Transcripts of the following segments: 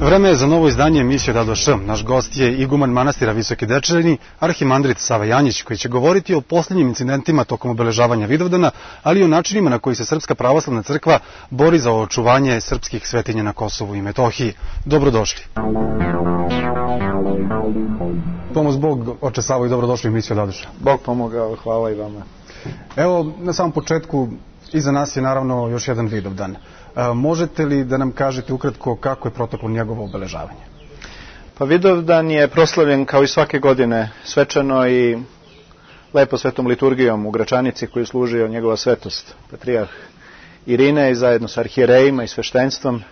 Vreme je za novo izdanje emisije Dado Š. Naš gost je iguman manastira Visoki Dečani, arhimandrit Sava Janjić, koji će govoriti o posljednjim incidentima tokom obeležavanja Vidovdana, ali i o načinima na koji se Srpska pravoslavna crkva bori za očuvanje srpskih svetinja na Kosovu i Metohiji. Dobrodošli. Pomoz Bog, oče Savo, i dobrodošli u emisiju Dado Š. Bog pomogao, hvala i vama. Evo, na samom početku, iza nas je naravno još jedan Vidovdan. Možete li da nam kažete ukratko kako je proteklo njegovo obeležavanje? Pa Vidovdan je proslavljen kao i svake godine svečano i lepo svetom liturgijom u Gračanici koju služio njegova svetost, patrijarh Irine, i zajedno sa arhijerejima i sveštenstvom.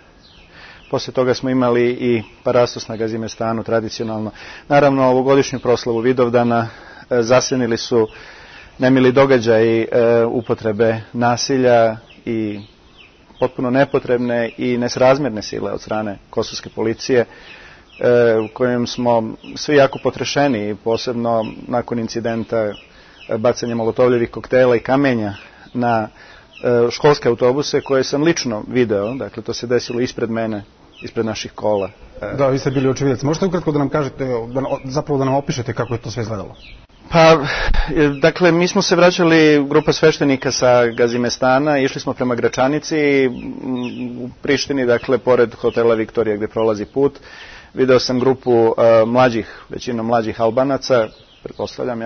Poslije toga smo imali i parastos na Gazimestanu tradicionalno. Naravno, ovogodišnju proslavu Vidovdana zasenili su nemili događaji upotrebe nasilja i potpuno nepotrebne i nesrazmjerne sile od strane kosovske policije, u kojem smo svi jako potrešeni, posebno nakon incidenta bacanja molotovljevih koktela i kamenja na školske autobuse koje sam lično video. Dakle, to se desilo ispred mene, ispred naših kola. Da, vi ste bili očevidac. Možete ukratko da nam kažete, zapravo da nam opišete kako je to sve izgledalo? Pa, dakle, mi smo se vraćali, grupa sveštenika sa Gazimestana, išli smo prema Gračanici, u Prištini, dakle, pored hotela Viktorija gdje prolazi put. Video sam grupu većinom mlađih Albanaca, pretpostavljam,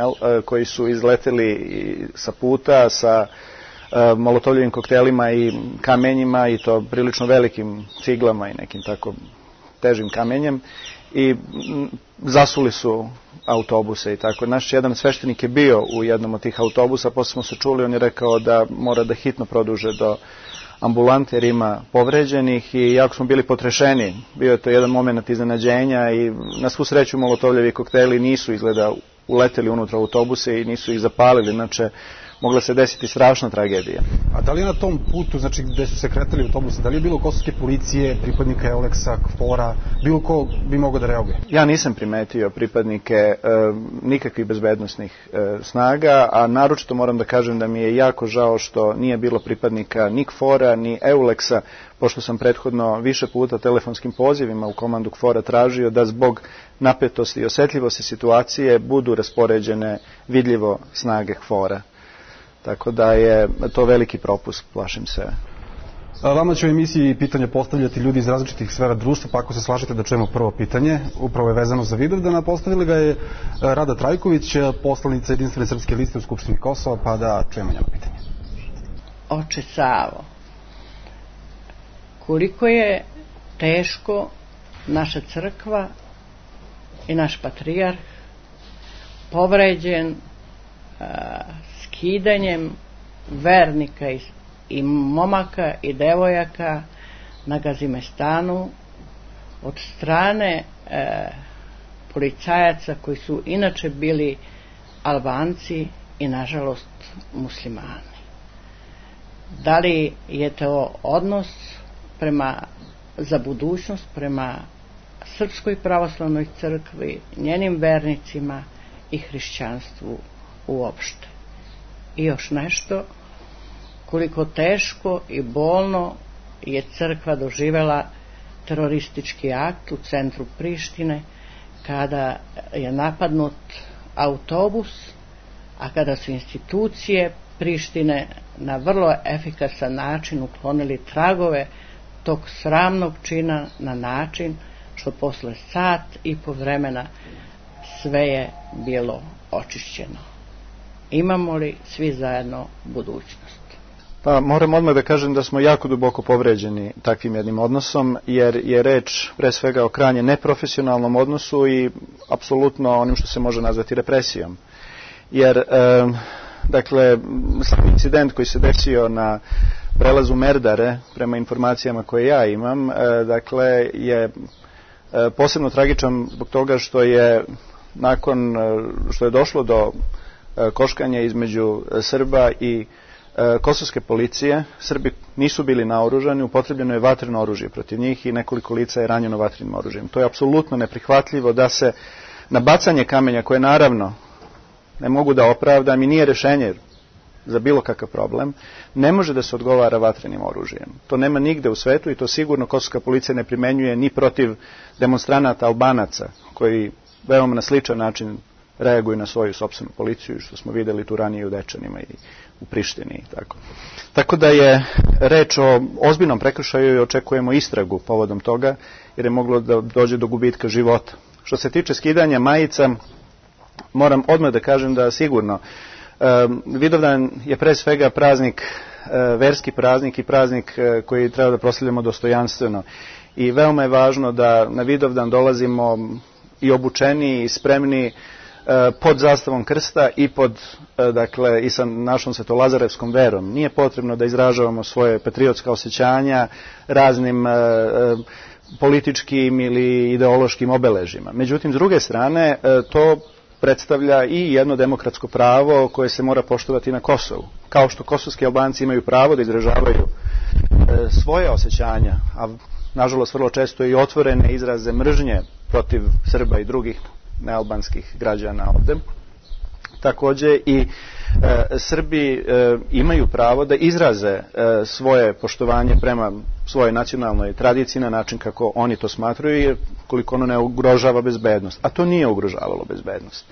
koji su izleteli sa puta, sa molotovljevim koktelima i kamenjima, i to prilično velikim ciglama i nekim tako težim kamenjem, i zasuli su autobuse i tako. Naš jedan sveštenik je bio u jednom od tih autobusa, posle smo se čuli, on je rekao da mora da hitno produže do ambulante jer ima povređenih, i jako smo bili potrešeni. Bio je to jedan moment iznenađenja i na svu sreću molotovljevi kokteli nisu izgleda uleteli unutra autobuse i nisu ih zapalili, inače mogla se desiti strašna tragedija. A da li je na tom putu, znači gde su se kretali autobusi, da li je bilo kosovske policije, pripadnika Euleksa, KFOR-a, bilo ko bi mogao da reaguje? Ja nisam primetio pripadnike nikakvih bezbednosnih snaga, a naročito moram da kažem da mi je jako žao što nije bilo pripadnika ni KFOR-a, ni Euleksa, pošto sam prethodno više puta telefonskim pozivima u komandu KFOR-a tražio da zbog napetosti i osetljivosti situacije budu raspoređene vidljivo snage KFOR-a. Tako da je to veliki propust, plašim se. Vama će u emisiji pitanja postavljati ljudi iz različitih sfera društva, pa ako se slažete da čujemo prvo pitanje, upravo je vezano za Vidovdana, postavila ga je Rada Trajković, poslanica Jedinstvene srpske liste u Skupštini Kosova, pa da čujemo njeno pitanje. Oče Savo, koliko je teško naša crkva i naš patrijarh povređen skidanjem vernika i momaka i devojaka na Gazimestanu od strane policajaca koji su inače bili Albanci i nažalost muslimani. Da li je to odnos za budućnost prema Srpskoj pravoslavnoj crkvi, njenim vernicima i hrišćanstvu uopšte? I još nešto, koliko teško i bolno je crkva doživjela teroristički akt u centru Prištine kada je napadnut autobus, a kada su institucije Prištine na vrlo efikasan način uklonili tragove tog sramnog čina na način što posle sat i po vremena sve je bilo očišćeno. Imamo li svi zajedno budućnost? Pa moram odmah da kažem da smo jako duboko povređeni takvim jednim odnosom, jer je reč pre svega o krajnje neprofesionalnom odnosu i apsolutno onim što se može nazvati represijom. Jer, dakle, sam incident koji se desio na prelazu Merdare, prema informacijama koje ja imam, dakle, je posebno tragičan zbog toga što je nakon što je došlo do koškanja između Srba i kosovske policije, Srbi nisu bili naoružani, upotrebljeno je vatreno oružje protiv njih i nekoliko lica je ranjeno vatrenim oružjem. To je apsolutno neprihvatljivo da se na bacanje kamenja, koje naravno ne mogu da opravdam i nije rešenje, za bilo kakav problem, ne može da se odgovara vatrenim oružjem. To nema nigde u svetu i to sigurno kosovska policija ne primenjuje ni protiv demonstranata Albanaca, koji veoma na sličan način reaguju na svoju sopstvenu policiju, što smo videli tu ranije u Dečanima i u Prištini i tako. Tako da je reč o ozbiljnom prekršaju i očekujemo istragu povodom toga, jer je moglo da dođe do gubitka života. Što se tiče skidanja majica, moram odmah da kažem da sigurno Vidovdan je pre svega praznik, verski praznik i praznik koji treba da proslavljamo dostojanstveno. I veoma je važno da na Vidovdan dolazimo i obučeni i spremni pod zastavom krsta i i sa našom svetolazarevskom verom. Nije potrebno da izražavamo svoje patriotska osjećanja raznim političkim ili ideološkim obeležima. Međutim, s druge strane, to predstavlja i jedno demokratsko pravo koje se mora poštovati na Kosovu. Kao što kosovski Albanci imaju pravo da izražavaju svoje osjećanja, a nažalost vrlo često i otvorene izraze mržnje protiv Srba i drugih nealbanskih građana ovde. Takođe i Srbi imaju pravo da izraze svoje poštovanje prema svojoj nacionalnoj tradiciji na način kako oni to smatraju, jer koliko ono ne ugrožava bezbednost. A to nije ugrožavalo bezbednost.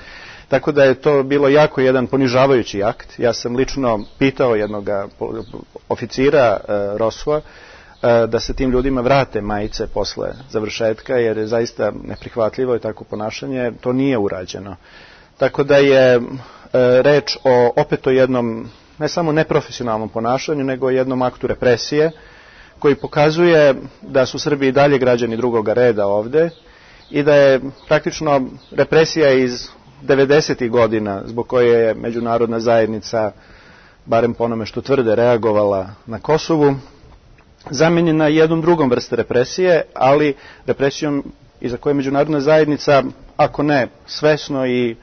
Tako da je to bilo jako jedan ponižavajući akt. Ja sam lično pitao jednog oficira ROSU-a da se tim ljudima vrate majice posle završetka, jer je zaista neprihvatljivo i tako ponašanje. To nije urađeno. Tako da je reč opet o jednom ne samo neprofesionalnom ponašanju, nego o jednom aktu represije koji pokazuje da su Srbi i dalje građani drugoga reda ovde i da je praktično represija iz 90. godina zbog koje je međunarodna zajednica, barem po onome što tvrde, reagovala na Kosovu, zamenjena jednom drugom vrste represije, ali represijom iza koje međunarodna zajednica, ako ne svesno i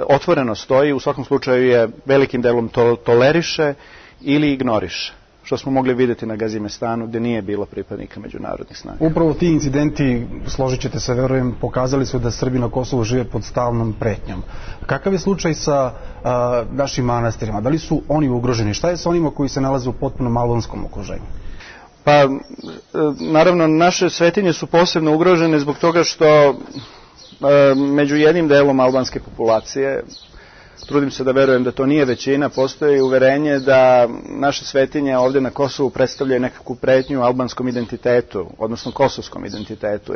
otvoreno stoji, u svakom slučaju je velikim delom toleriše ili ignoriše, što smo mogli vidjeti na Gazimestanu, gde nije bilo pripadnika međunarodnih snaga. Upravo ti incidenti, složit ćete se, verujem, pokazali su da Srbi na Kosovu žive pod stalnom pretnjom. Kakav je slučaj sa našim manastirima? Da li su oni ugroženi? Šta je sa onima koji se nalaze u potpunom albanskom okruženju? Pa, naravno, naše svetinje su posebno ugrožene zbog toga što među jednim delom albanske populacije, trudim se da verujem da to nije većina, postoji uverenje da naše svetinje ovde na Kosovu predstavljaju nekakvu pretnju albanskom identitetu, odnosno kosovskom identitetu.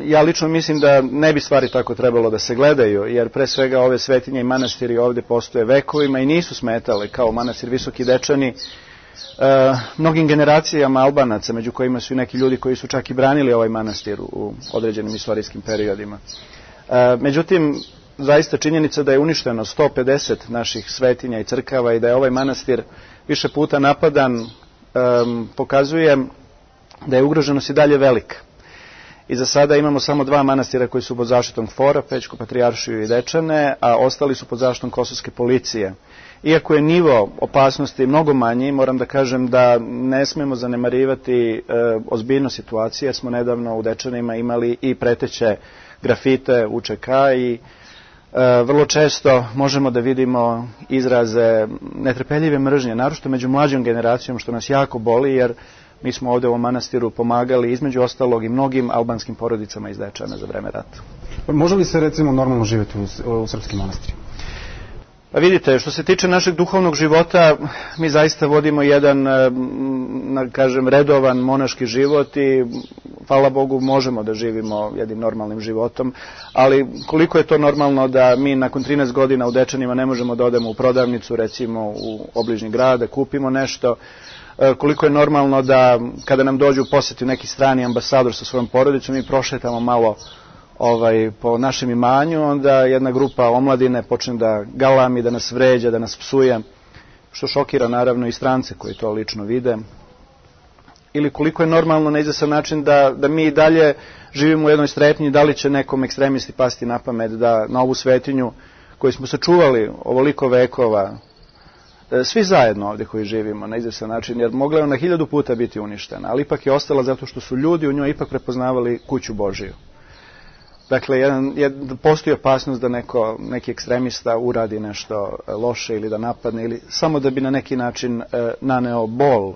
Ja lično mislim da ne bi stvari tako trebalo da se gledaju, jer pre svega ove svetinje i manastiri ovde postoje vekovima i nisu smetale, kao manastir Visoki Dečani, mnogim generacijama Albanaca, među kojima su i neki ljudi koji su čak i branili ovaj manastir u određenim istorijskim periodima. Međutim, zaista činjenica da je uništeno 150 naših svetinja i crkava i da je ovaj manastir više puta napadan, pokazuje da je ugroženost i dalje velika. I za sada imamo samo 2 manastira koji su pod zaštitom KFOR-a, Pećku patrijaršiju i Dečane, a ostali su pod zaštitom kosovske policije. Iako je nivo opasnosti mnogo manji, moram da kažem da ne smemo zanemarivati ozbiljnost situacije, jer smo nedavno u Dečanima imali i preteće grafite UČK i vrlo često možemo da vidimo izraze netrpeljive mržnje, naročito među mlađom generacijom, što nas jako boli, jer mi smo ovde u ovom manastiru pomagali između ostalog i mnogim albanskim porodicama iz Dečana za vreme rata. Može li se recimo normalno živjeti u srpskim manastirima? Pa vidite, što se tiče našeg duhovnog života, mi zaista vodimo jedan, kažem, redovan monaški život i, hvala Bogu, možemo da živimo jednim normalnim životom, ali koliko je to normalno da mi nakon 13 godina u Dečanima ne možemo da odemo u prodavnicu, recimo u obližnji grad, da kupimo nešto, koliko je normalno da kada nam dođu u poseti neki strani ambasador sa svojom porodicom, mi prošetamo malo po našem imanju, onda jedna grupa omladine počne da galami, da nas vređa, da nas psuje, što šokira naravno i strance koji to lično vide. Ili koliko je normalno na izvestan način da mi dalje živimo u jednoj strepnji, da li će nekom ekstremisti pasti na pamet da na ovu svetinju koju smo sačuvali ovoliko vekova, svi zajedno ovdje koji živimo na izvestan način, jer mogla je ona 1000 puta biti uništena, ali ipak je ostala zato što su ljudi u njoj ipak prepoznavali kuću Božiju. Dakle, postoji opasnost da neki ekstremista uradi nešto loše ili da napadne, ili samo da bi na neki način naneo bol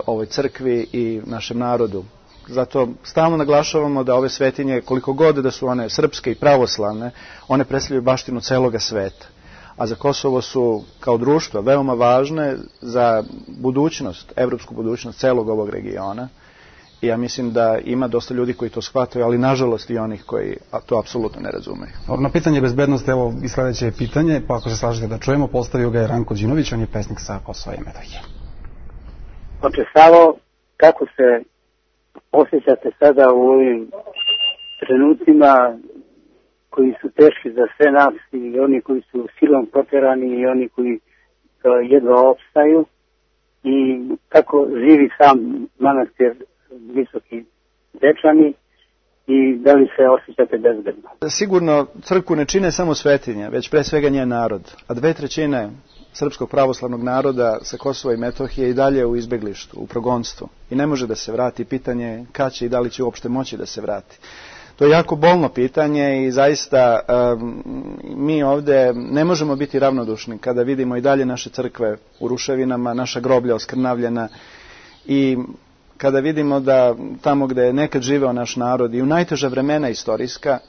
ovoj crkvi i našem narodu. Zato stalno naglašavamo da ove svetinje, koliko god da su one srpske i pravoslavne, one predstavljaju baštinu celoga sveta. A za Kosovo su kao društvo veoma važne za budućnost, evropsku budućnost celog ovog regiona. I ja mislim da ima dosta ljudi koji to shvataju, ali nažalost i onih koji to apsolutno ne razumeju. Na pitanje bezbednosti, evo i sledeće pitanje, pa ako se slažete da čujemo, postavio ga je Ranko Đinović, on je pesnik sa Kosova i Metohije. Savo, kako se osjećate sada u ovim trenucima koji su teški za sve nas, i oni koji su silom proterani i oni koji jedva opstaju, i kako živi sam manastir Visoki Dečani i da li se osjećate bezbedno? Sigurno crkvu ne čine samo svetinje, već pre svega njen narod, a 2/3 srpskog pravoslavnog naroda sa Kosova i Metohije i dalje u izbeglištu, u progonstvu i ne može da se vrati. Pitanje kad će i da li će uopšte moći da se vrati. To je jako bolno pitanje i zaista mi ovde ne možemo biti ravnodušni kada vidimo i dalje naše crkve u ruševinama, naša groblja oskrnavljena, i kada vidimo da tamo gde je nekad živeo naš narod i u najteža vremena istorijska,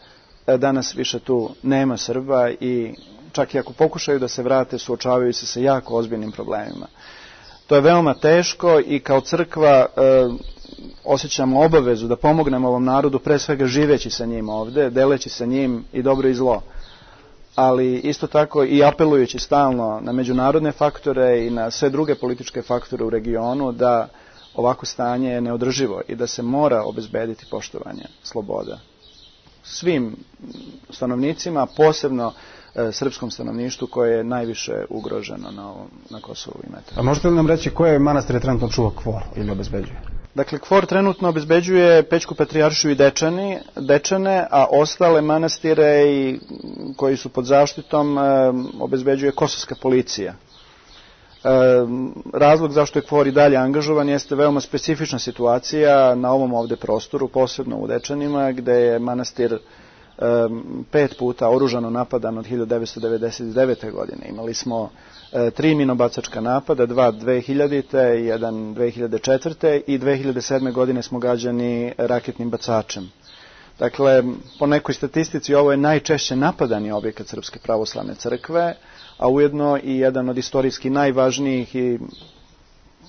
danas više tu nema Srba i čak i ako pokušaju da se vrate, suočavaju se sa jako ozbiljnim problemima. To je veoma teško i kao crkva osjećamo obavezu da pomognemo ovom narodu, pre svega živeći sa njim ovde, deleći sa njim i dobro i zlo. Ali isto tako i apelujući stalno na međunarodne faktore i na sve druge političke faktore u regionu da ovako stanje je neodrživo i da se mora obezbediti poštovanje sloboda svim stanovnicima, posebno srpskom stanovništvu koje je najviše ugroženo na Kosovu i Metohiji. A možete li nam reći koje manastire trenutno čuva KFOR ili obezbeđuje? Dakle, KFOR trenutno obezbeđuje Pećku patrijaršiju i Dečane, a ostale manastire koji su pod zaštitom obezbeđuje kosovska policija. Razlog zašto je KFOR i dalje angažovan jeste veoma specifična situacija na ovom ovde prostoru, posebno u Dečanima, gde je manastir 5 puta oružano napadan od 1999. godine. Imali smo 3 minobacačka napada, 2 2000. 1 2004. i 2007. godine smo gađani raketnim bacačem. Dakle, po nekoj statistici ovo je najčešće napadani objekat Srpske pravoslavne crkve, a ujedno i jedan od istorijski najvažnijih i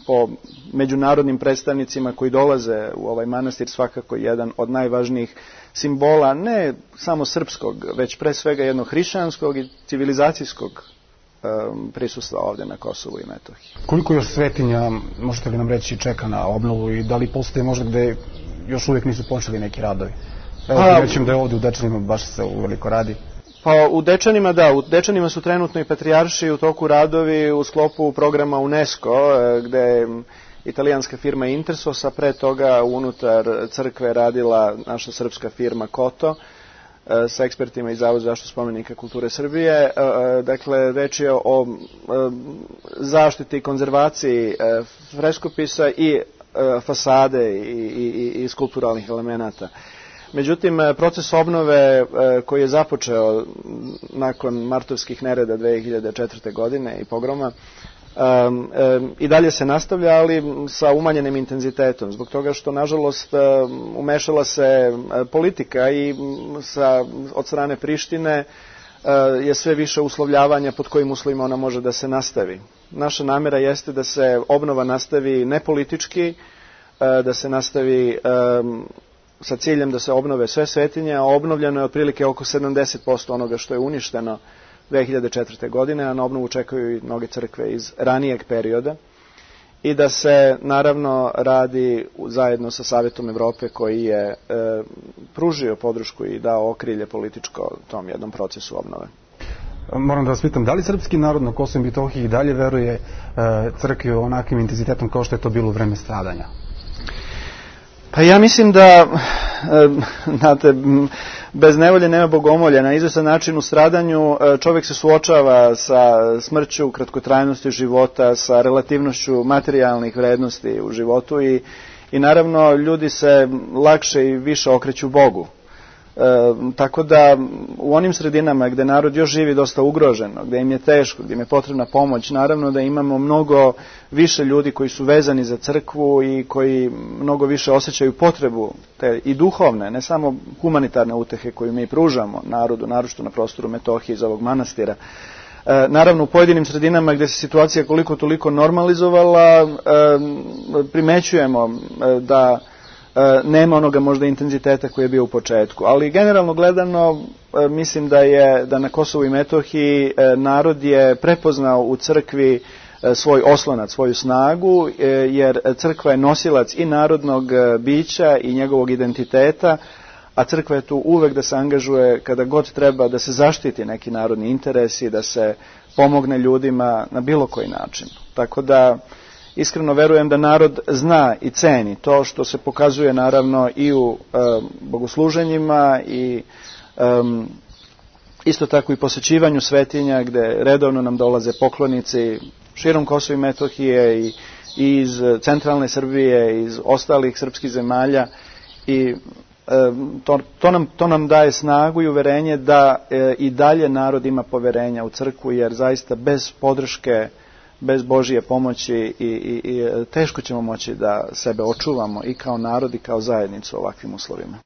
po međunarodnim predstavnicima koji dolaze u ovaj manastir svakako jedan od najvažnijih simbola ne samo srpskog, već pre svega jednog hrišćanskog i civilizacijskog prisustva ovde na Kosovu i Metohiji. Koliko još svetinja, možete li nam reći, čeka na obnovu i da li postoje možda gde još uvijek nisu počeli neki radovi? Evo, rećem da je ovde u Dečanima baš se uveliko radi. Pa u Dečanima, da, u Dečanima su trenutno i patrijarši u toku radovi u sklopu programa UNESCO, gde je italijanska firma Intersos, a pre toga unutar crkve radila naša srpska firma Koto, sa ekspertima iz Zavoda za zaštitu spomenika kulture Srbije. Dakle, reč je o zaštiti i konzervaciji freskopisa i fasade i skulpturalnih elemenata. Međutim, proces obnove koji je započeo nakon martovskih nereda 2004. godine i pogroma i dalje se nastavlja, ali sa umanjenim intenzitetom, zbog toga što, nažalost, umešala se politika i od strane Prištine je sve više uslovljavanja pod kojim uslovima ona može da se nastavi. Naša namera jeste da se obnova nastavi nepolitički, da se nastavi sa ciljem da se obnove sve svetinje, a obnovljeno je otprilike oko 70% onoga što je uništeno 2004. godine, a na obnovu čekaju i mnoge crkve iz ranijeg perioda, i da se naravno radi zajedno sa Savetom Evrope koji je pružio podršku i dao okrilje političko tom jednom procesu obnove. Moram da vas pitam, da li srpski narod na Kosovu i Metohiji dalje veruje crkvi onakvim intenzitetom kao što je to bilo u vreme stradanja? Pa ja mislim da, znate, bez nevolje nema bogomolja. Na izvestan način u stradanju čovjek se suočava sa smrću, kratkotrajnosti života, sa relativnošću materijalnih vrednosti u životu i naravno ljudi se lakše i više okreću Bogu. Tako da u onim sredinama gde narod još živi dosta ugroženo, gde im je teško, gde im je potrebna pomoć, naravno da imamo mnogo više ljudi koji su vezani za crkvu i koji mnogo više osjećaju potrebu te i duhovne, ne samo humanitarne utehe koju mi pružamo narodu, naročito na prostoru Metohije iz ovog manastira. Naravno, u pojedinim sredinama gde se situacija koliko toliko normalizovala, primećujemo da nema onoga možda intenziteta koji je bio u početku. Ali generalno gledano, mislim da na Kosovu i Metohiji narod je prepoznao u crkvi svoj oslonac, svoju snagu, jer crkva je nosilac i narodnog bića i njegovog identiteta, a crkva je tu uvek da se angažuje kada god treba da se zaštiti neki narodni interesi, da se pomogne ljudima na bilo koji način. Tako da iskreno verujem da narod zna i ceni to što se pokazuje naravno i u bogosluženjima i isto tako i posećivanju svetinja gde redovno nam dolaze poklonici širom Kosova i Metohije i iz centralne Srbije, iz ostalih srpskih zemalja i to nam daje snagu i uverenje da i dalje narod ima poverenja u crkvu, jer zaista bez podrške, bez Božije pomoći i teško ćemo moći da sebe očuvamo i kao narod i kao zajednicu u ovakvim uslovima.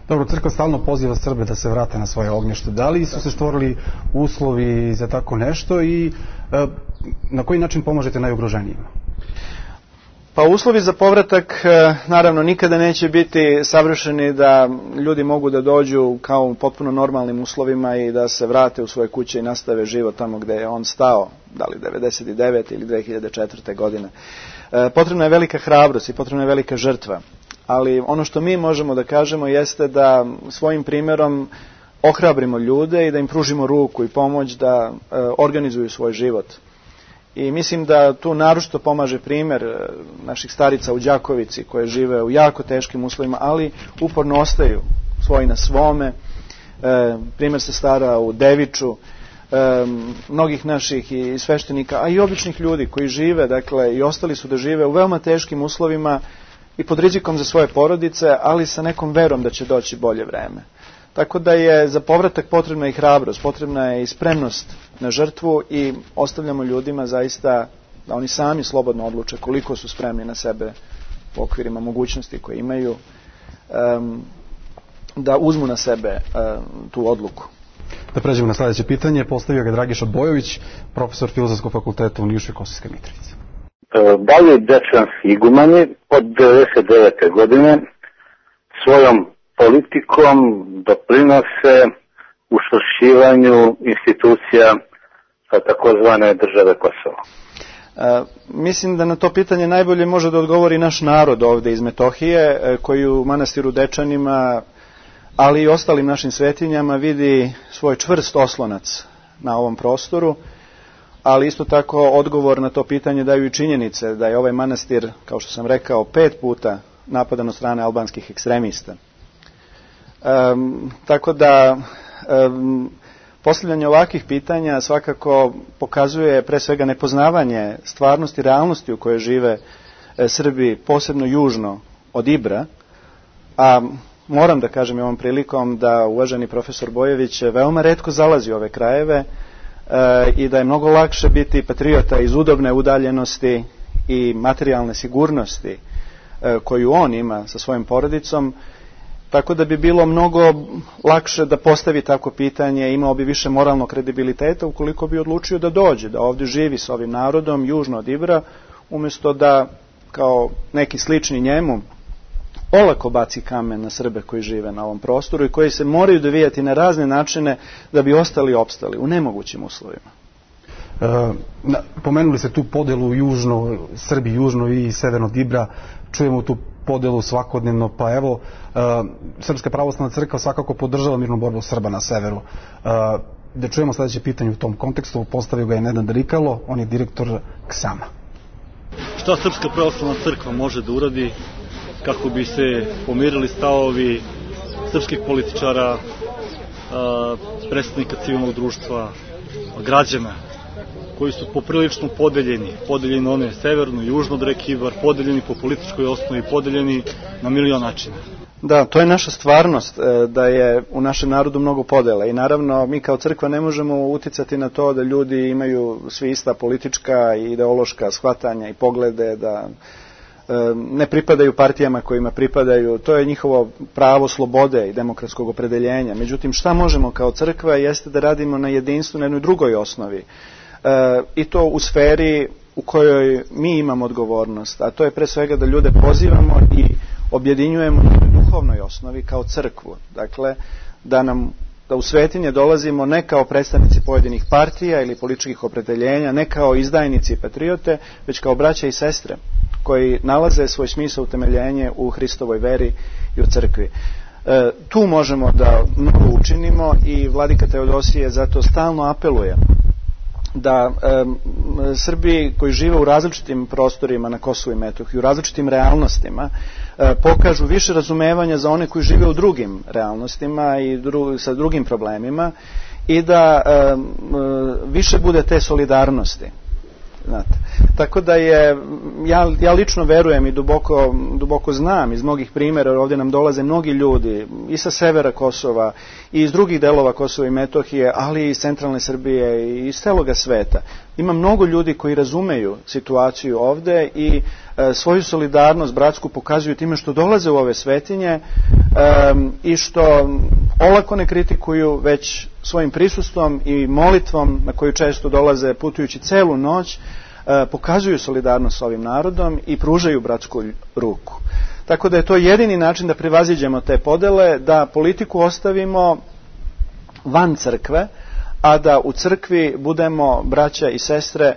Dobro, crkva stalno poziva Srbe da se vrate na svoje ognjište. Da li su se stvorili uslovi za tako nešto i na koji način pomažete najugroženijima? Pa uslovi za povratak naravno nikada neće biti savršeni da ljudi mogu da dođu kao u potpuno normalnim uslovima i da se vrate u svoje kuće i nastave život tamo gde je on stao, da li 1999. ili 2004. godine. Potrebna je velika hrabrost i potrebna je velika žrtva, ali ono što mi možemo da kažemo jeste da svojim primjerom ohrabrimo ljude i da im pružimo ruku i pomoć da organizuju svoj život. I mislim da tu naročito pomaže primjer naših starica u Đakovici koje žive u jako teškim uslovima, ali uporno ostaju svoji na svome. Primjer sestara u Deviču, mnogih naših i sveštenika, a i običnih ljudi koji žive, dakle, i ostali su da žive u veoma teškim uslovima i pod rizikom za svoje porodice, ali sa nekom verom da će doći bolje vreme. Tako da je za povratak potrebna i hrabrost, potrebna je i spremnost na žrtvu i ostavljamo ljudima zaista da oni sami slobodno odluče koliko su spremni na sebe u okvirima mogućnosti koje imaju, da uzmu na sebe tu odluku. Da pređemo na sljedeće pitanje, postavio ga Dragiša Bojović, profesor Filozofskog fakulteta u Nišu i Kosovskoj Mitrovici. Da li dečanski igumani od 1999. godine svojom politikom doprinose učvršćivanju institucija takozvane države Kosovo? Mislim da na to pitanje najbolje može da odgovori naš narod ovde iz Metohije, koji u manastiru Dečanima, ali i ostalim našim svetinjama vidi svoj čvrst oslonac na ovom prostoru, ali isto tako odgovor na to pitanje daju i činjenice da je ovaj manastir, kao što sam rekao, 5 puta napadan od strane albanskih ekstremista. Tako da postavljanje ovakvih pitanja svakako pokazuje pre svega nepoznavanje stvarnosti i realnosti u kojoj žive Srbi, posebno južno od Ibra, a moram da kažem i ovom prilikom da uvaženi profesor Bojević veoma retko zalazi u ove krajeve i da je mnogo lakše biti patriota iz udobne udaljenosti i materijalne sigurnosti koju on ima sa svojim porodicom, tako da bi bilo mnogo lakše da postavi tako pitanje, imao bi više moralnog kredibiliteta ukoliko bi odlučio da dođe, da ovdje živi s ovim narodom južno od Ibra, umjesto da kao neki slični njemu olako baci kamen na Srbe koji žive na ovom prostoru i koji se moraju dovijati na razne načine da bi ostali opstali u nemogućim uslovima. Pomenuli ste tu podelu južno, Srbi južno i severno od Ibra, čujemo tu podelu svakodnevno, pa evo, Srpska pravoslavna crkva svakako podržava mirnu borbu Srba na severu. Da čujemo sljedeće pitanje u tom kontekstu, postavio ga je Nenad Rikalo, on je direktor KSAM-a. Šta Srpska pravoslavna crkva može da uradi kako bi se pomirili stavovi srpskih političara, predstavnika civilnog društva, građana, koji su poprilično podeljeni one severno i južno od reke Ibar, podeljeni po političkoj osnovi, podeljeni na milion načina? Da, to je naša stvarnost, da je u našem narodu mnogo podela i naravno mi kao crkva ne možemo uticati na to da ljudi imaju svi ista politička i ideološka shvatanja i poglede, da ne pripadaju partijama kojima pripadaju, to je njihovo pravo slobode i demokratskog opredeljenja. Međutim, šta možemo kao crkva jeste da radimo na jedinstvu, na jednoj drugoj osnovi i to u sferi u kojoj mi imamo odgovornost, a to je pre svega da ljude pozivamo i objedinjujemo na duhovnoj osnovi kao crkvu. Dakle, da u svetinje dolazimo ne kao predstavnici pojedinih partija ili političkih opredeljenja, ne kao izdajnici i patriote, već kao braća i sestre koji nalaze svoj smisao utemeljenje u Hristovoj veri i u crkvi. Tu možemo da mnogo učinimo i vladika Teodosije zato stalno apeluje da Srbi koji žive u različitim prostorima na Kosovu i Metohiji, u različitim realnostima, pokažu više razumevanja za one koji žive u drugim realnostima i sa drugim problemima i da više bude te solidarnosti. Znate. Tako da ja lično verujem i duboko znam iz mnogih primjera, ovdje nam dolaze mnogi ljudi i sa severa Kosova i iz drugih delova Kosova i Metohije, ali i iz centralne Srbije i iz celoga sveta. Ima mnogo ljudi koji razumeju situaciju ovdje i svoju solidarnost bratsku pokazuju time što dolaze u ove svetinje i što olako ne kritikuju, već svojim prisustvom i molitvom na koju često dolaze putujući celu noć, pokazuju solidarnost s ovim narodom i pružaju bratsku ruku. Tako da je to jedini način da prevaziđemo te podele, da politiku ostavimo van crkve, a da u crkvi budemo braća i sestre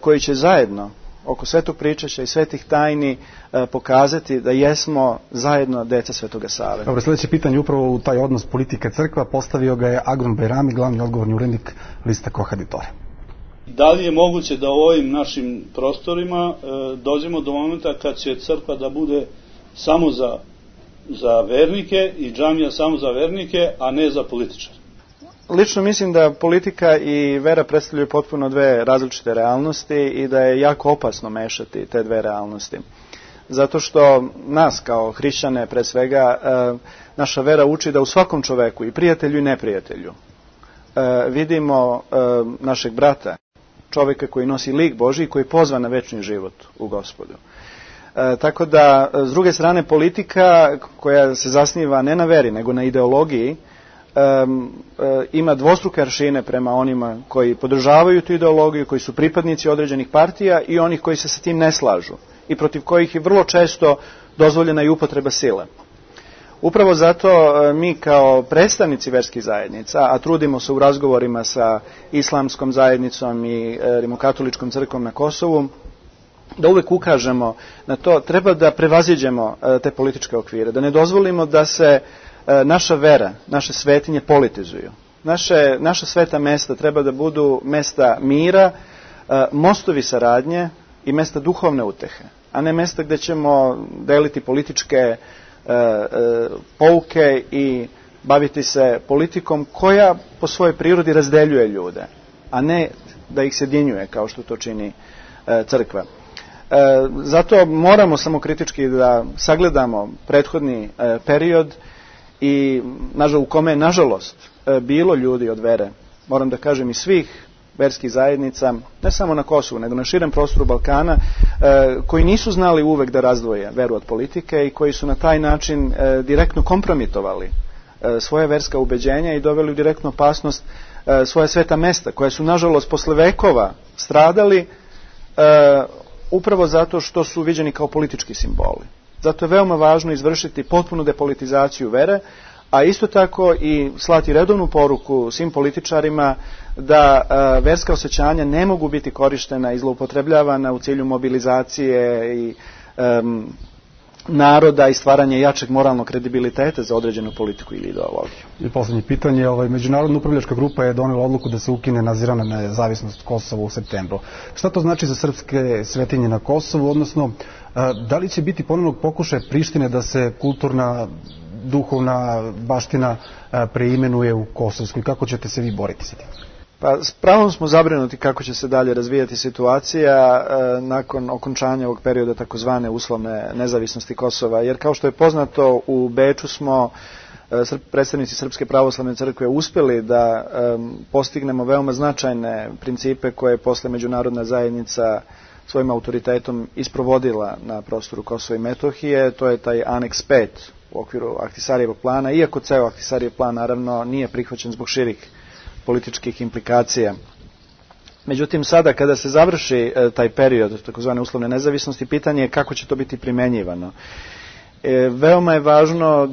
koji će zajedno oko svetog pričašća i svetih tajni pokazati da jesmo zajedno deca Svetoga Save. Dobro, sljedeće pitanje upravo u taj odnos politike crkva postavio ga je Agron Bajrami, glavni odgovorni urednik lista Kohaditore. Da li je moguće da u ovim našim prostorima dođemo do momenta kad će crkva da bude samo za vernike i džamija samo za vernike, a ne za političare? Lično mislim da politika i vera predstavljaju potpuno dve različite realnosti i da je jako opasno mešati te dve realnosti. Zato što nas kao hrišćane pre svega naša vera uči da u svakom čoveku, i prijatelju i neprijatelju, vidimo našeg brata, čovjeka koji nosi lik Božji i koji je pozvan na večni život u Gospodu. Tako da, s druge strane, politika koja se zasniva ne na veri, nego na ideologiji, ima dvostruke aršine prema onima koji podržavaju tu ideologiju, koji su pripadnici određenih partija i onih koji se sa tim ne slažu i protiv kojih je vrlo često dozvoljena i upotreba sile. Upravo zato mi kao predstavnici verskih zajednica, a trudimo se u razgovorima sa islamskom zajednicom i rimokatoličkom crkvom na Kosovu, da uvek ukažemo na to, treba da prevaziđemo te političke okvire, da ne dozvolimo da se naša vera, naše svetinje politizuju. Naša sveta mesta treba da budu mesta mira, mostovi saradnje i mesta duhovne utehe, a ne mesta gde ćemo deliti političke pouke i baviti se politikom koja po svojoj prirodi razdeljuje ljude, a ne da ih sjedinjuje kao što to čini crkva. Zato moramo samokritički da sagledamo prethodni period i u kome je nažalost bilo ljudi od vere, moram da kažem i svih verskih zajednica, ne samo na Kosovu, nego na širem prostoru Balkana, koji nisu znali uvek da razdvoje veru od politike i koji su na taj način direktno kompromitovali svoje verska ubeđenja i doveli u direktnu opasnost svoje sveta mesta, koje su nažalost posle vekova stradali upravo zato što su viđeni kao politički simboli. Zato je veoma važno izvršiti potpunu depolitizaciju vere, a isto tako i slati redovnu poruku svim političarima da verska osjećanja ne mogu biti korištena i zloupotrebljavana u cilju mobilizacije i naroda i stvaranje jačeg moralnog kredibiliteta za određenu politiku ili ideologiju. I poslednje pitanje, Međunarodna upravljačka grupa je donela odluku da se ukine nadzirana nezavisnost Kosova u septembru. Šta to znači za srpske svetinje na Kosovu, odnosno da li će biti ponovnog pokušaja Prištine da se kulturna, duhovna baština preimenuje u kosovsku i kako ćete se vi boriti sa tim? Pa s pravom smo zabrinuti kako će se dalje razvijati situacija nakon okončanja ovog perioda takozvane uslovne nezavisnosti Kosova, jer kao što je poznato u Beču smo predstavnici Srpske pravoslavne crkve uspjeli da postignemo veoma značajne principe koje je posle međunarodna zajednica svojim autoritetom isprovodila na prostoru Kosova i Metohije. To je taj aneks 5 u okviru Ahtisarijevog plana, iako ceo Ahtisarijev plan naravno nije prihvaćen zbog širih političkih implikacija. Međutim, sada kada se završi taj period takozvane uslovne nezavisnosti, pitanje je kako će to biti primenjivano. Veoma je važno,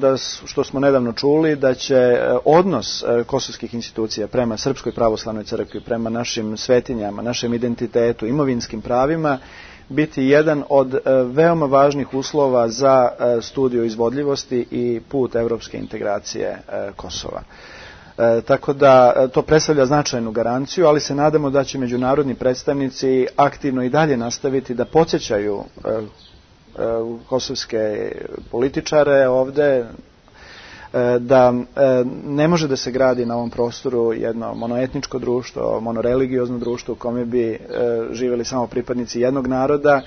što smo nedavno čuli, da će odnos kosovskih institucija prema Srpskoj pravoslavnoj crkvi, prema našim svetinjama, našem identitetu, imovinskim pravima, biti jedan od veoma važnih uslova za studiju izvodljivosti i put evropske integracije Kosova. Tako da to predstavlja značajnu garanciju, ali se nadamo da će međunarodni predstavnici aktivno i dalje nastaviti da podsjećaju kosovske političare ovde da ne može da se gradi na ovom prostoru jedno monoetničko društvo, monoreligiozno društvo u kome bi živjeli samo pripadnici jednog naroda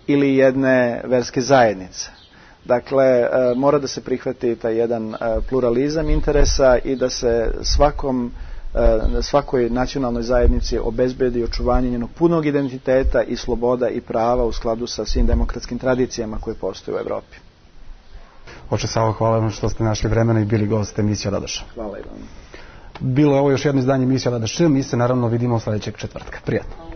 ili jedne verske zajednice. Dakle, mora da se prihvati taj jedan pluralizam interesa i da se svakoj nacionalnoj zajednici obezbedi očuvanje njenog punog identiteta i sloboda i prava u skladu sa svim demokratskim tradicijama koje postoje u Evropi. Oče Savo, hvala vam što ste našli vremena i bili gost emisije Radoša. Hvala i vam. Bilo je ovo još jedno izdanje emisije Radoša. Mi se naravno vidimo sledećeg četvrtka. Prijatno.